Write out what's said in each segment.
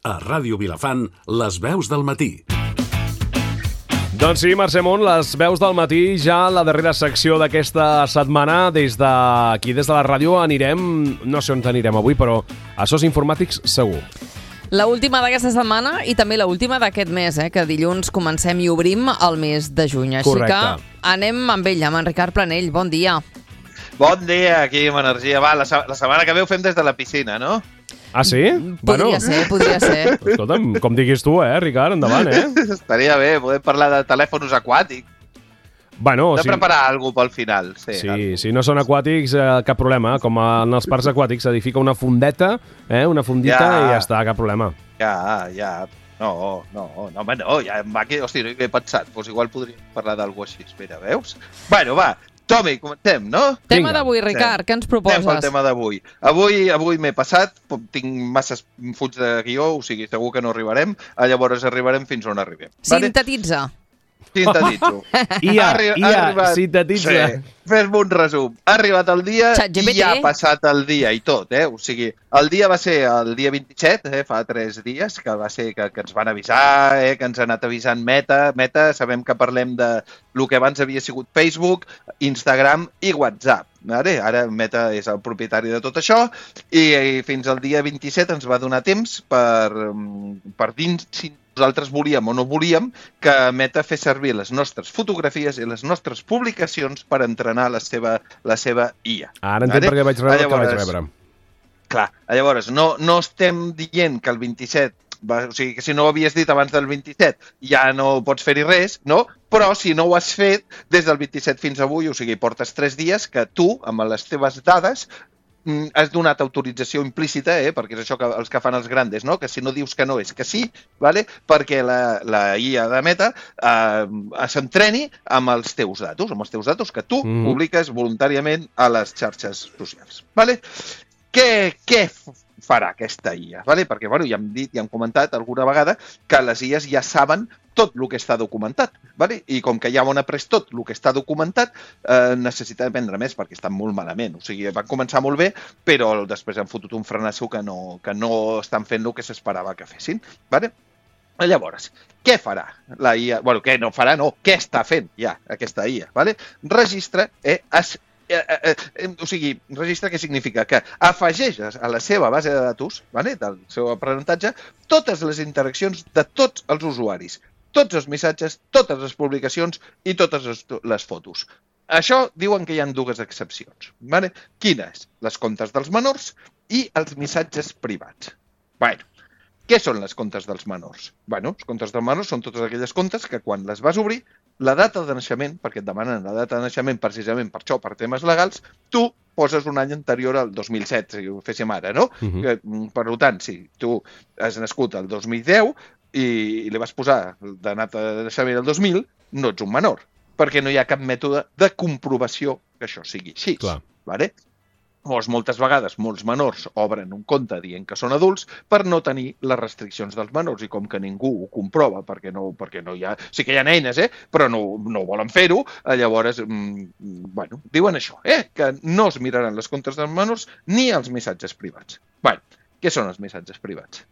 A Ràdio Vilafant, les veus del matí. Doncs sí, Mercè Mont, les veus del matí, ja la darrera secció d'aquesta setmana. Des d'aquí, des de la ràdio, anirem, no sé on anirem avui, però a SOS Informàtics segur. La última d'aquesta setmana i també la última d'aquest mes, que dilluns comencem i obrim el mes de juny. Així Correcte. que anem amb ell, amb en Ricard Planell. Bon dia. Bon dia, aquí amb energia. Va, la setmana que ve ho fem des de la piscina, no? Ah, sí? Podria ser. Escolta'm, com diguis tu, Ricard, endavant, Estaria bé, podem parlar de telèfons aquàtics. Bueno, Hem de preparar alguna cosa pel final. Sí, si no són aquàtics, cap problema. Com en els parcs aquàtics s'edifica una fondeta, una fondita i ja està, cap problema. Ja. No, home, no, ja em va que... Hòstia, no hi he pensat. Doncs igual podríem parlar d'algú així. Espera, veus? Bueno, va, Tomi, comencem, no? Tema d'avui, Ricard, què ens proposes? Anem pel tema d'avui. Avui m'he passat, tinc masses fulls de guió, o sigui, segur que no arribarem, llavors arribarem fins on arribem. Sintetitza. Sintetitzo. Sintetitza. Sí, fes-me un resum. Ha arribat el dia i ja ha passat el dia i tot, O sigui, el dia va ser el dia 27, fa 3 dies, que va ser que ens van avisar, que ens ha anat avisant Meta. Meta, sabem que parlem de el que abans havia sigut Facebook, Instagram i WhatsApp. Ara Meta és el propietari de tot això i fins al dia 27 ens va donar temps per dir si nosaltres volíem o no volíem que Meta fes servir les nostres fotografies i les nostres publicacions per entrenar la seva IA. Ara entenc per què vaig rebre el que vaig rebre. Clar, llavors no estem dient que el 27, o sigui, que si no ho havies dit abans del 27 ja no pots fer-hi res, no? Però si no ho has fet des del 27 fins avui, o sigui, portes 3 dies que tu, amb les teves dades, has donat autorització implícita, perquè és això que els que fan els grandes, no? Que si no dius que no és que sí, vale? Perquè la IA de Meta s'entreni amb els teus datos que tu publiques voluntàriament a les xarxes socials. Vale? Què farà aquesta IA? Vale? Perquè ja hem dit, ja hem comentat alguna vegada que les IAs ja saben tot el que està documentat. Vale? I com que ja ho han après tot el que està documentat, necessita aprendre més perquè estan molt malament. O sigui, van començar molt bé, però després han fotut un frenasso que no estan fent el que s'esperava que fessin. Vale? Llavors, què farà la IA? Bueno, què no farà, no. Què està fent ja aquesta IA? Vale? Registra, o sigui, registre què significa? Que afegeix a la seva base de datos, del seu aprenentatge, totes les interaccions de tots els usuaris, tots els missatges, totes les publicacions i totes les fotos. Això diuen que hi ha 2 excepcions. Quines? Les comptes dels menors i els missatges privats. Què són les comptes dels menors? Els comptes dels menors són totes aquelles comptes que quan les vas obrir, la data de naixement, perquè et demanen la data de naixement precisament per això, per temes legals, tu poses un any anterior al 2007, si ho féssim ara, no? Per tant, si tu has nascut el 2010 i li vas posar de data de naixement el 2000, no ets un menor, perquè no hi ha cap mètode de comprovació que això sigui així. Vale? Moltes vegades molts menors obren un compte dient que són adults per no tenir les restriccions dels menors i com que ningú ho comprova perquè no hi ha... Sí que hi ha eines, però no volen fer-ho, llavors, diuen això, que no es miraran les comptes dels menors ni els missatges privats. Què són els missatges privats?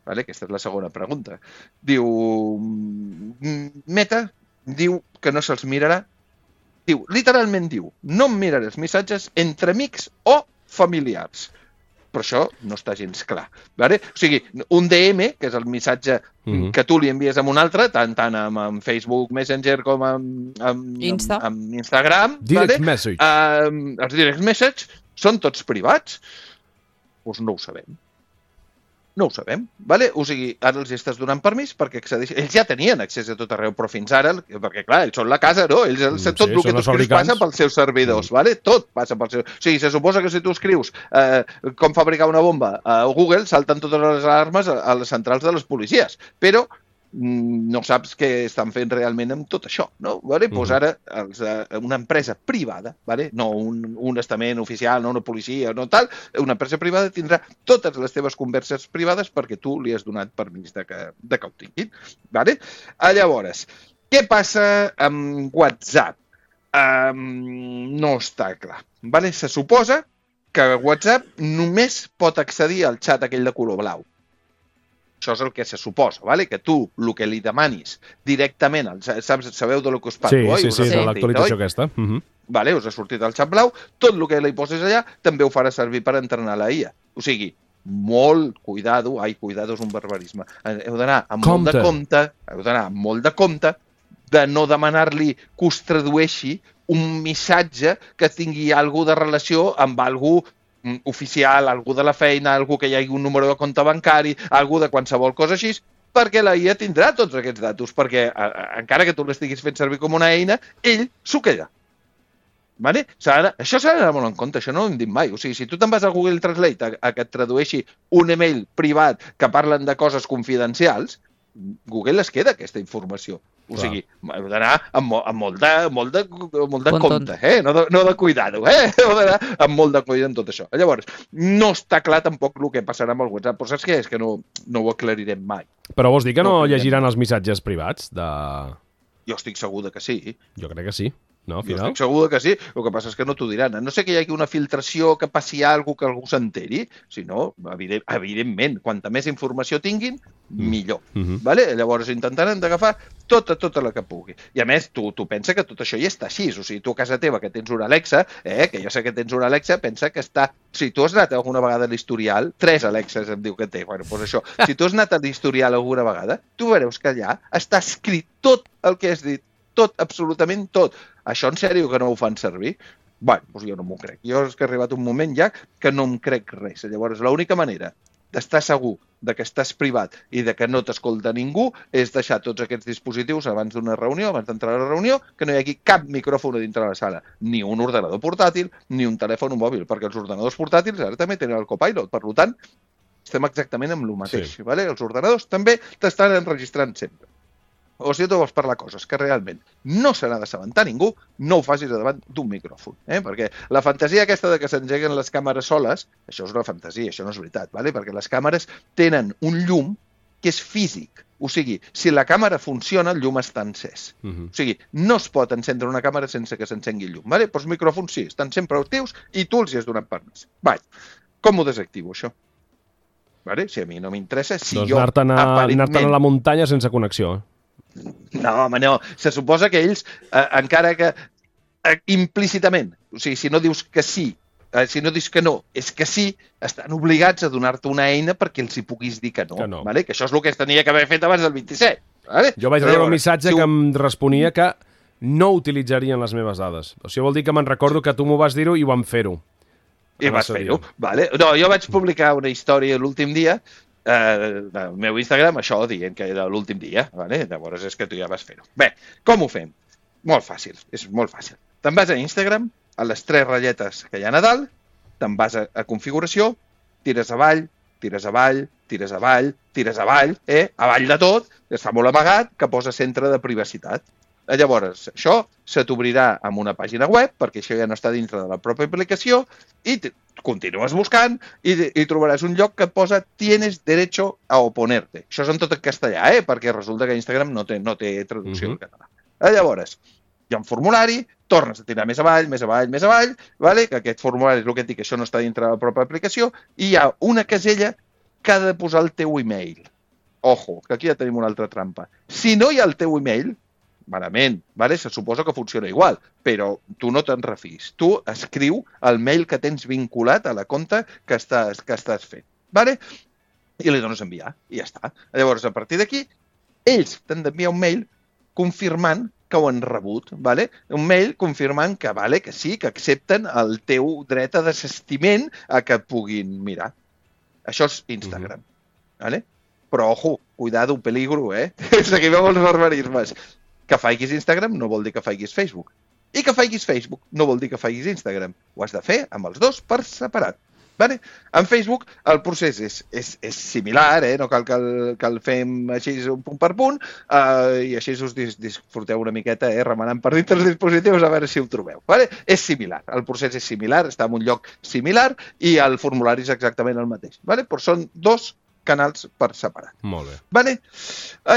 Aquesta és la segona pregunta. Meta diu que no se'ls mirarà. Literalment diu, no em miraré els missatges entre amics o familiars. Però això no està gens clar. O sigui, un DM, que és el missatge que tu li envies a un altre, tant amb Facebook Messenger com amb Instagram, direct message. Els direct message són tots privats? Doncs no ho sabem. No ho sabem, o sigui, ara els estàs donant permís perquè accedeixin. Ells ja tenien accés a tot arreu, però fins ara, perquè clar, ells són la casa, no? Ells tot el que tu escrius passa pels seus servidors, tot passa pels seus... O sigui, se suposa que si tu escrius com fabricar una bomba a Google, salten totes les alarmes a les centrals de les policies, però no saps què estan fent realment amb tot això, no? Doncs ara una empresa privada, no un estament oficial, no una policia, no tal, una empresa privada tindrà totes les teves converses privades perquè tu li has donat permís de que ho tinguin. Llavors, què passa amb WhatsApp? No està clar. Se suposa que WhatsApp només pot accedir al xat aquell de color blau. això és el que se suposa, ¿vale? Que tu, el que li demanis directament, sabeu de lo que us parlo, oi? Sí, de l'actualització aquesta. Vale, us ha sortit el xat blau, tot el que li poses allà també ho farà servir per entrenar la IA. O sigui, molt cuidado, cuidado és un barbarisme. Heu d'anar amb molt de compte de no demanar-li que us tradueixi un missatge que tingui alguna de relació amb algú oficial, algú de la feina, algú que hi hagi un número de compte bancari, algú de qualsevol cosa així, perquè la IA tindrà tots aquests datos, perquè encara que tu l'estiguis fent servir com una eina, ell s'ho queda. Vale? Això s'ha d'anar molt en compte, això no ho hem dit mai. O sigui, si tu te'n vas a Google Translate a que et tradueixi un email privat que parlen de coses confidencials, Google es queda aquesta informació. O sigui, heu d'anar amb molt de compte, no de cuidado, heu d'anar amb molt de cuidado en tot això. Llavors, no està clar tampoc el que passarà amb el WhatsApp, però saps què? És que no ho aclarirem mai. Però vols dir que no llegiran els missatges privats? Jo estic segur que sí. Jo crec que sí. No, jo estic segur que sí, el que passa és que no t'ho diran. No sé que hi hagi una filtració, que passi alguna cosa que algú s'enteri, sinó, evidentment, quanta més informació tinguin, millor. Vale? Llavors intentaran d'agafar tota la que pugui. I a més, tu pensa que tot això ja està així. O sigui, tu a casa teva que tens una Alexa, que jo sé que tens una Alexa, pensa que està... Si tu has anat alguna vegada a l'historial, 3 Alexes em diu que té, bueno, doncs això. Si tu has anat a l'historial alguna vegada, tu veuràs que allà està escrit tot el que has dit. Tot, absolutament tot. Això en sèrio que no ho fan servir? Bé, doncs jo no m'ho crec. Jo és que ha arribat un moment ja que no em crec res. Llavors, l'única manera d'estar segur de que estàs privat i de que no t'escolta ningú és deixar tots aquests dispositius abans d'una reunió, abans d'entrar a la reunió, que no hi hagi cap micròfon a dintre la sala, ni un ordenador portàtil, ni un telèfon mòbil, perquè els ordenadors portàtils ara també tenen el Copilot. Per tant, estem exactament amb el mateix. Sí. Vale? Els ordenadors també t'estan enregistrant sempre. O si tu vols parlar coses que realment no se n'ha d'assabentar ningú, no ho facis davant d'un micròfon. Perquè la fantasia aquesta de que s'engeguen les càmeres soles, això és una fantasia, això no és veritat, vale? Perquè les càmeres tenen un llum que és físic. O sigui, si la càmera funciona, el llum està encès. O sigui, no es pot encendre una càmera sense que s'encengui el llum. Vale? Però els micròfons sí, estan sempre actius i tu els hi has donat permís. Com ho desactivo, això? Vale? Si a mi no m'interessa, si doncs jo... anar-te'n a la muntanya sense connexió. No, home, no. Se suposa que ells, encara que implícitament, o sigui, si no dius que sí, si no dius que no, és que sí, estan obligats a donar-te una eina perquè els hi puguis dir que no. Vale? Que això és el que es tenia que haver fet abans del 27. Vale? Jo vaig rebre un missatge que em responia que no utilitzarien les meves dades. O sigui, vol dir que me'n recordo que tu m'ho vas dir-ho i vam fer-ho. I vas fer-ho, vale? No, jo vaig publicar una història l'últim dia del meu Instagram, això dient que era l'últim dia, vale? Llavors és que tu ja vas fer-ho. Bé, com ho fem? Molt fàcil, és molt fàcil. Te'n vas a Instagram, a les 3 ratlletes que hi ha a dalt, te'n vas a configuració, tires avall, tires avall, tires avall, tires avall, avall de tot, està molt amagat, que posa centre de privacitat. Llavors, això se t'obrirà amb una pàgina web, perquè això ja no està dintre de la pròpia aplicació, i continues buscant i trobaràs un lloc que et posa «Tienes derecho a oponerte». Això és en tot en castellà, perquè resulta que Instagram no té traducció en català. Llavors, hi ha un formulari, tornes a tirar més avall, vale? Que aquest formulari és el que et dic, que això no està dintre de la pròpia aplicació, i hi ha una casella que ha de posar el teu email. Ojo, que aquí ja tenim una altra trampa. Si no hi ha el teu email, malament, vale? Se suposa que funciona igual, però tu no te'n refis. Tu escriu el mail que tens vinculat a la compte que estàs fent, vale? I li dones a enviar, i ja està. Llavors, a partir d'aquí, ells t'han d'enviar un mail confirmant que ho han rebut, vale? Un mail confirmant que, vale, que sí, que accepten el teu dret a desistiment a que puguin mirar. Això és Instagram, vale? Però, ojo, cuidado, peligro, Seguim amb els barbarismes. Que faiguis Instagram no vol dir que faiguis Facebook. I que faiguis Facebook no vol dir que faiguis Instagram. Ho has de fer amb els dos per separat. Vale? En Facebook el procés és similar, no cal que el fem així punt per punt, i així us disfruteu una miqueta remenant per dintre els dispositius a veure si ho trobeu. Vale? És similar, el procés és similar, està en un lloc similar i el formulari és exactament el mateix. Vale? Però són dos canals per separat. Molt bé. Vale?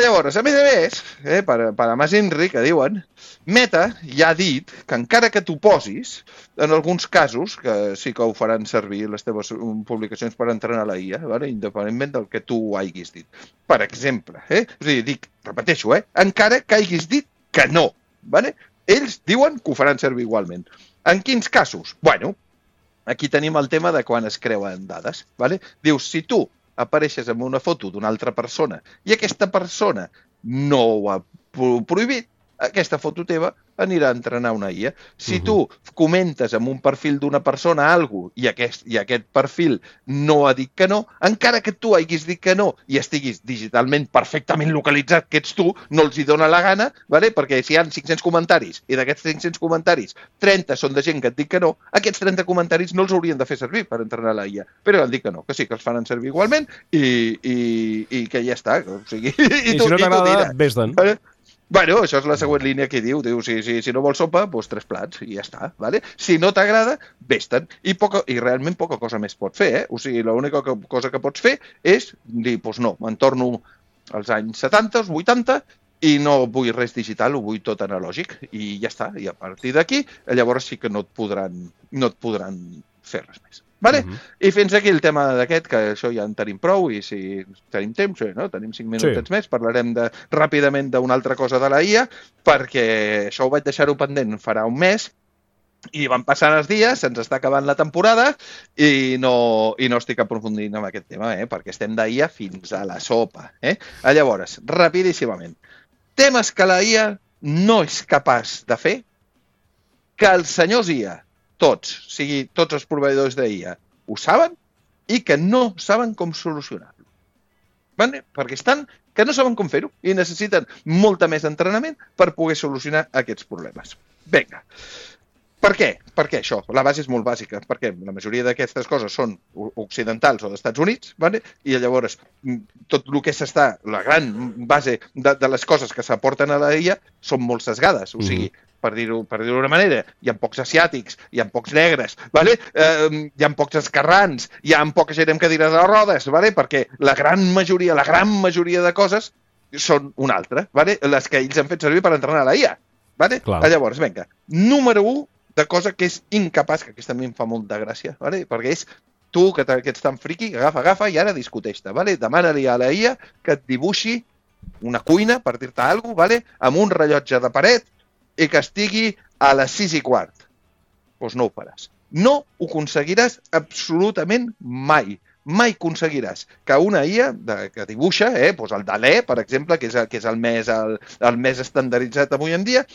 Llavors, a més, per a Mas Inri, que diuen, Meta ja ha dit que encara que t'ho posis, en alguns casos, que sí que ho faran servir les teves publicacions per entrenar la IA, vale? Independentment del que tu hagis dit. Per exemple, o sigui, repeteixo, encara que hagis dit que no, vale? Ells diuen que ho faran servir igualment. En quins casos? Bueno, aquí tenim el tema de quan es creuen dades, vale? Dius, si tu apareixes amb una foto d'una altra persona i aquesta persona no ho ha prohibit, aquesta foto teva anirà a entrenar una IA. Si tu comentes amb un perfil d'una persona alguna cosa i aquest perfil no ha dit que no, encara que tu hagis dit que no i estiguis digitalment perfectament localitzat que ets tu, no els hi dona la gana, vale? Perquè si hi ha 500 comentaris i d'aquests 500 comentaris 30 són de gent que et dic que no, aquests 30 comentaris no els haurien de fer servir per entrenar la IA. Però han dit que no, que sí, que els faran servir igualment i que ja està. O sigui, I si no t'agrada, vés-te'n. Bueno, això és la següent línia que diu. Diu, si no vols sopa, doncs 3 plats i ja està. Vale? Si no t'agrada, vés-te'n. I realment poca cosa més pots fer. O sigui, l'única cosa que pots fer és dir, doncs no, me'n torno als anys 70, als 80, i no vull res digital, ho vull tot analògic. I ja està. I a partir d'aquí, llavors sí que no et podran fer res més. Vale? I fins aquí el tema d'aquest, que això ja en tenim prou, i si tenim temps, no? Tenim 5 minutets més, parlarem ràpidament d'una altra cosa de la IA, perquè això ho vaig deixar-ho pendent farà un mes, i van passant els dies, se'ns està acabant la temporada, i no estic aprofundint en aquest tema, perquè estem d'IA fins a la sopa. Llavors, rapidíssimament, temes que la IA no és capaç de fer, que els senyors IA, tots els proveïdors d'IA ho saben i que no saben com solucionar-lo. Vale? Perquè que no saben com fer-ho i necessiten molta més entrenament per poder solucionar aquests problemes. Vinga. Per què? Perquè això, la base és molt bàsica, perquè la majoria d'aquestes coses són occidentals o d'Estats Units, vale? I llavors tot el que la gran base de les coses que s'aporten a la IA són molt sesgades, o sigui, per dir-ho d'una manera, hi ha pocs asiàtics, hi ha pocs negres, vale? Hi ha pocs esquerrans, hi ha poca gent amb cadires de rodes, vale? Perquè la gran majoria de coses són una altra, vale? Les que ells han fet servir per entrenar la IA. Vale? Llavors, vinga, número 1 de cosa que és incapaç, que aquesta a mi em fa molta gràcia, vale? Perquè és tu, que ets tan friqui, agafa i ara discuteix-te. Vale? Demana-li a la IA que et dibuixi una cuina, per dir-te alguna cosa, vale? Amb un rellotge de paret i que estigui a les 6:15. Doncs no ho faràs. No ho aconseguiràs absolutament mai. Mai aconseguiràs que una IA que dibuixa, doncs el Dalí, per exemple, que és el més estandarditzat avui en dia,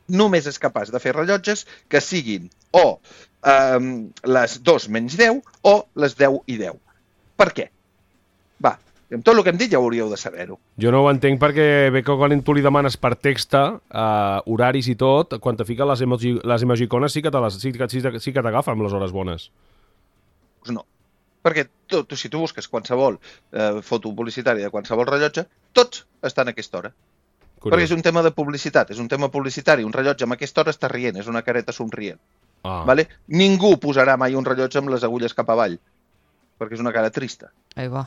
només és capaç de fer rellotges que siguin o les 2:10 o les 10:10. Per què? Va, amb tot el que hem dit ja hauríeu de saber-ho. Jo no ho entenc perquè bé que quan tu li demanes per text, horaris i tot, quan te fica les emojicones sí que t'agafa amb les hores bones. Doncs no. Perquè si tu busques qualsevol foto publicitària de qualsevol rellotge, tots estan a aquesta hora. Curiós. Perquè és un tema de publicitat, és un tema publicitari. Un rellotge amb aquesta hora està rient, és una careta somrient. Vale? Ningú posarà mai un rellotge amb les agulles cap avall, perquè és una cara trista. Ahí va.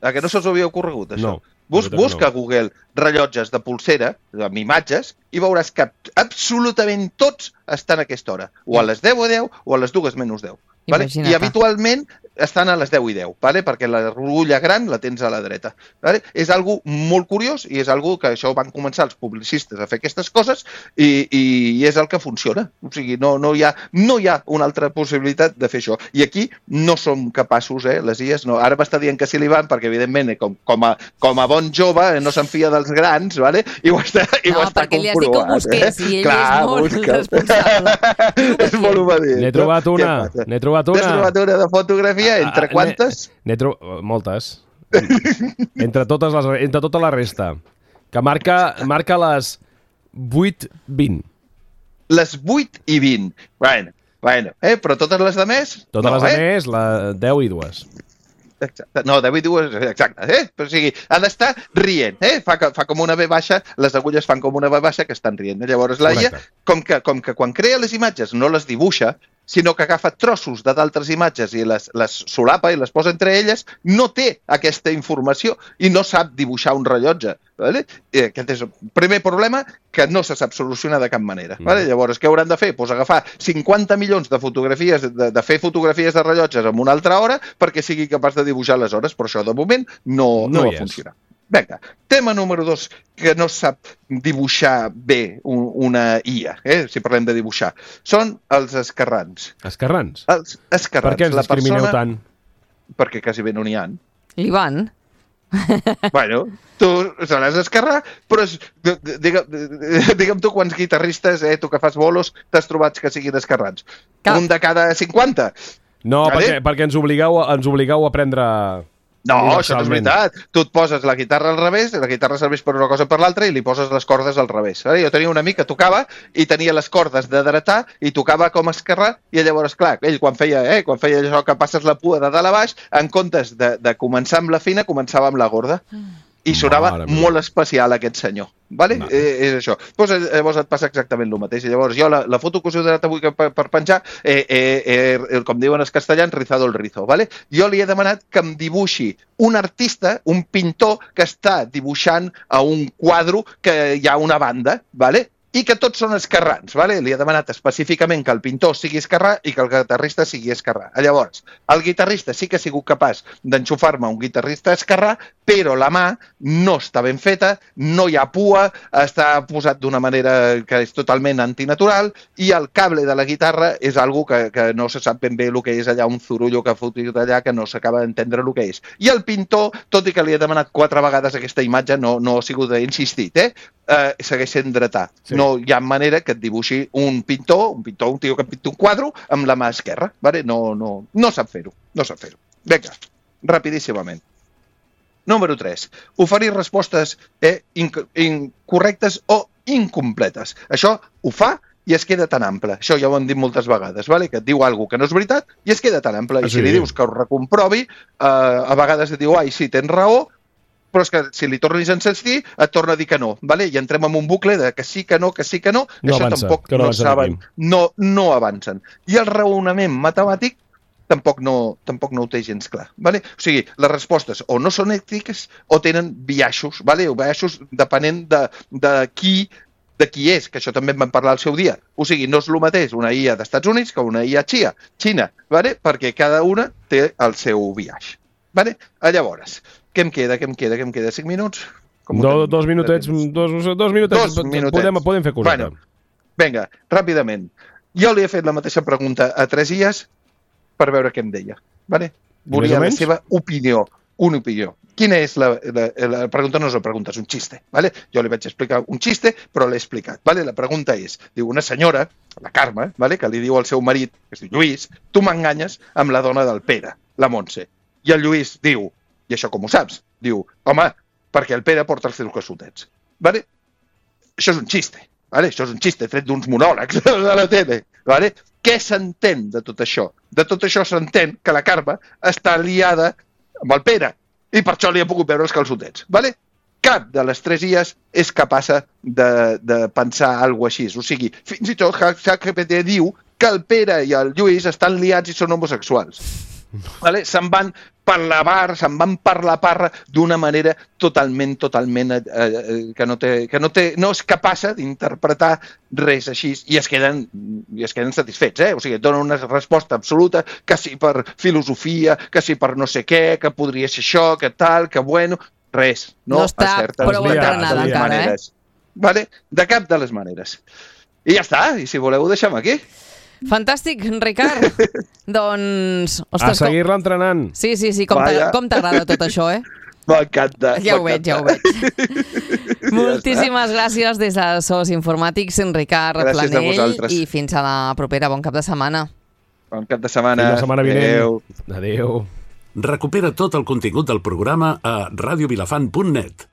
A que no se'ls havia ocorregut, això? No. Busca a Google rellotges de polsera, amb imatges, i veuràs que absolutament tots estan a aquesta hora. O a les 10:10 o a les 2:10. Vale? I habitualment estan a les 10:10, vale? Perquè la rulla gran la tens a la dreta. Vale? És algo molt curiós i és algo que això van començar els publicistes a fer aquestes coses i és el que funciona. O sigui, no hi ha una altra possibilitat de fer això. I aquí no som capaços, les IAs, no. Ara m'està dient que sí li van perquè, evidentment, com a bon jove no se'n fia dels grans, vale? I ho està comprovat. No, perquè li has dit que ho busqués i ell és molt responsable. És molt obedient. N'he trobat una. N'has trobat una de fotografia? Entre quantes? Moltes. Entre tota la resta. Que marca les 8:20. Les 8:20. Bueno. Però totes les de més? Totes les de més, la 10:02. Exacte. No, 10:02, exacte. Però, o sigui, ha d'estar rient. Fa com una V baixa, les agulles fan com una V baixa que estan rient. Llavors, la IA, com que quan crea les imatges no les dibuixa, sinó que agafa trossos de d'altres imatges i les solapa i les posa entre elles, no té aquesta informació i no sap dibuixar un rellotge. Vale? Aquest és el primer problema que no se sap solucionar de cap manera. Vale? Llavors, què hauran de fer? Pues agafar 50 milions de fotografies, de fer fotografies de rellotges en una altra hora perquè sigui capaç de dibuixar les hores, però això de moment no va funcionar. Vinga, tema número 2, que no sap dibuixar bé una IA, si parlem de dibuixar, són els esquerrans. Esquerrans? Els esquerrans. Per què ens discrimineu tant? Perquè quasi bé no n'hi ha. L'Ivan? Bueno, tu seràs esquerrà, però digue'm tu quants guitarristes, tu que fas bolos, t'has trobat que siguin esquerrans? Un de cada 50? No, perquè ens obligueu a aprendre... No, això no és veritat. Tu et poses la guitarra al revés, la guitarra serveix per una cosa o per l'altra, i li poses les cordes al revés. Jo tenia un amic que tocava i tenia les cordes de dretar i tocava com esquerrà, i llavors, clar, ell quan feia això que passes la pua de dalt a baix, en comptes de començar amb la fina, començava amb la gorda. I sonava molt especial aquest senyor. Vale? És això. Llavors et passa exactament el mateix. Llavors jo la foto que us he donat avui per penjar, com diuen els castellans, rizado el rizo. Vale? Jo li he demanat que em dibuixi un artista, un pintor que està dibuixant a un quadre que hi ha una banda, vale? I que tots són esquerrans. Vale? Li he demanat específicament que el pintor sigui esquerrà i que el guitarrista sigui esquerrà. Llavors, el guitarrista sí que ha sigut capaç d'enxufar-me un guitarrista esquerrà, però la mà no està ben feta, no hi ha pua, està posat d'una manera que és totalment antinatural, i el cable de la guitarra és algo que no se sap ben bé el que és allà, un zurullo que ha fotut allà que no s'acaba d'entendre el que és. I el pintor, tot i que li he demanat 4 vegades aquesta imatge, no ha sigut insistit, segueix sent dretà. Sí. No hi ha manera que et dibuixi un pintor, un tio que pinta un quadre amb la mà esquerra. Vale? No sap fer-ho. Vinga, rapidíssimament. Número 3. Oferir respostes incorrectes o incompletes. Això ho fa i es queda tan ample. Això ja ho hem dit moltes vegades, vale? Que et diu alguna que no és veritat i es queda tan ample. I si li dius que ho recomprovi, a vegades et diu, ai, sí, tens raó, però és que si li tornis a insistir, et torna a dir que no. Vale? I entrem en un bucle de que sí, que no, això tampoc no saben, no avancen. I el raonament matemàtic tampoc no ho té gens clar. Vale? O sigui, les respostes o no són ètiques o tenen biaixos, vale? O biaixos depenent de qui és, que això també en vam parlar al seu dia. O sigui, no és el mateix una IA d'Estats Units que una IA Xina, vale? Perquè cada una té el seu biaix. Vale? Llavors, què em queda? 5 minuts? 2 minutets. 2 minutets. Podem fer coseta. Bueno, vinga, ràpidament. Jo li he fet la mateixa pregunta a 3 IAs per veure què em deia. Vale? Volia la seva opinió. Una opinió. Quina és la pregunta? No és una pregunta, és un xiste. Vale? Jo li vaig explicar un xiste, però l'he explicat. Vale? La pregunta és, diu una senyora, la Carme, vale? Que li diu al seu marit, que es diu Lluís, tu m'enganyes amb la dona del Pere, la Montse. I el Lluís diu, i això com ho saps? Diu, home, perquè el Pere porta els seus calçotets. Vale? Això és un xiste. Vale? Això és un xiste tret d'uns monòlegs de la tele. Vale? Què s'entén de tot això? De tot això s'entén que la Carme està liada amb el Pere i per això li ha pogut veure els calçotets. Vale? Cap de les 3 IAs és capaç de pensar alguna cosa així. O sigui, fins i tot ChatGPT diu que el Pere i el Lluís estan liats i són homosexuals. Vale? Se'n van per la parra d'una manera totalment que no és capaç d'interpretar res així i es queden satisfets. O sigui, donen una resposta absoluta, que sí per filosofia, que sí per no sé què, que podria ser això, que tal, que bueno, res. No està prou entrenada encara, Vale? De cap de les maneres. I ja està, i si voleu ho deixem aquí. Fantàstic, Ricard. Doncs... Ostres, a seguir-la entrenant. Sí, com t'agrada tot això, M'encanta. Ja ho veig. Moltíssimes gràcies des de SOS Informàtics, Ricard Planell, i fins a la propera. Bon cap de setmana. Bon cap de setmana. Fins la setmana vinent. Adéu. Recupera tot el contingut del programa a radiovilafant.net.